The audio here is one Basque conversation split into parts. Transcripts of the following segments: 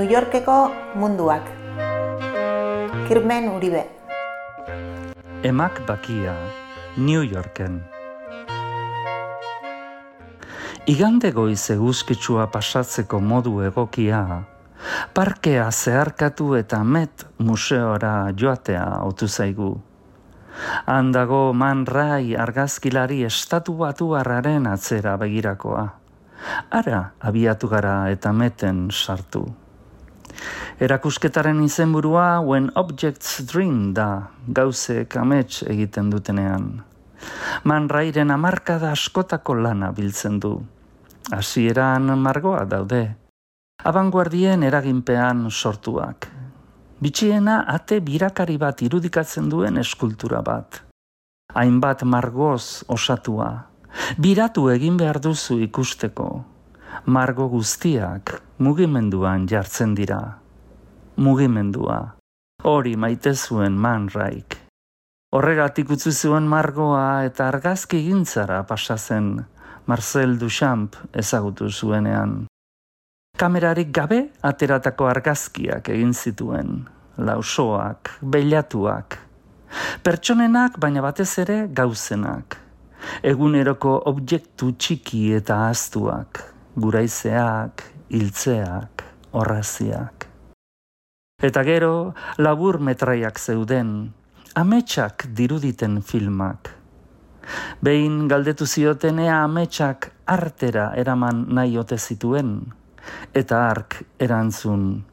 New Yorkeko munduak. Kirmen Uribe. Emak bakia, New Yorken. Igande goiz eguzkitsua pasatzeko modu egokia, parkea zeharkatu eta Met museora joatea otu zaigu. Handago Man Ray argazkilari estatu batuarraren atzera begirakoa. Ara abiatu gara eta Meten sartu. Erakusketaren izenburua When Objects Dream da, gauzek amets egiten dutenean. Man Rayren hamarkada askotako lana biltzen du. Hasieran margoa daude. Abanguardien eraginpean sortuak. Bitxiena ate birakari bat irudikatzen duen eskultura bat. Hainbat margoz osatua. Biratu egin behar duzu ikusteko. Margo guztiak mugimenduan jartzen dira. Mugimendua. Hori maite zuen Man Rayk. Horregatik utzi zuen margoa eta argazki gintzara pasa zen Marcel Duchamp ezagutu zuenean. Kamerarik gabe ateratako argazkiak egin zituen. Lausoak, beilatuak. Pertsonenak baina batez ere gauzenak. Eguneroko objektu txiki eta ahaztuak. Guraizeak, hiltzeak, orraziak. Eta gero, labur metraiak zeuden, ametsak diruditen filmak. Behin galdetu zioten ea ametsak artera eraman nahi ote zituen, eta hark erantzun.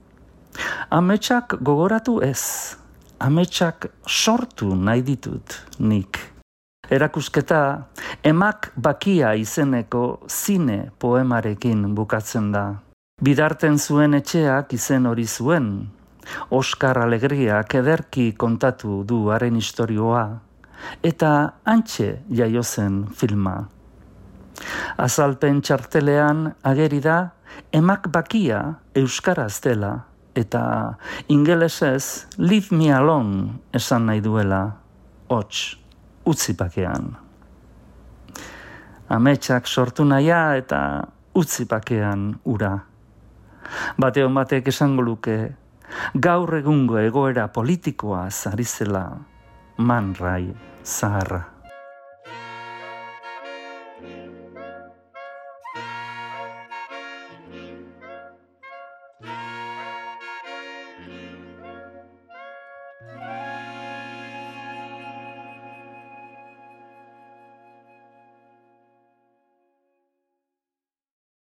Ametsak gogoratu ez, ametsak sortu nahi ditut nik. Erakusketa Emak bakia izeneko zine poemarekin bukatzen da. Bidarten zuen etxeak izen hori zuen. Oskar Alegriak ederki kontatu du haren istorioa, eta hantxe jaio zen filma. Azalpen txartelean ageri da Emak bakia euskaraz dela, eta ingelesez Leave me alone esan nahi duela, hots, utzi bakean. Ametsak sortu nahia eta utzi bakean ura. Bateon batek esango luke, gaur egungo egoera politikoa ari zela Man Ray zaharra.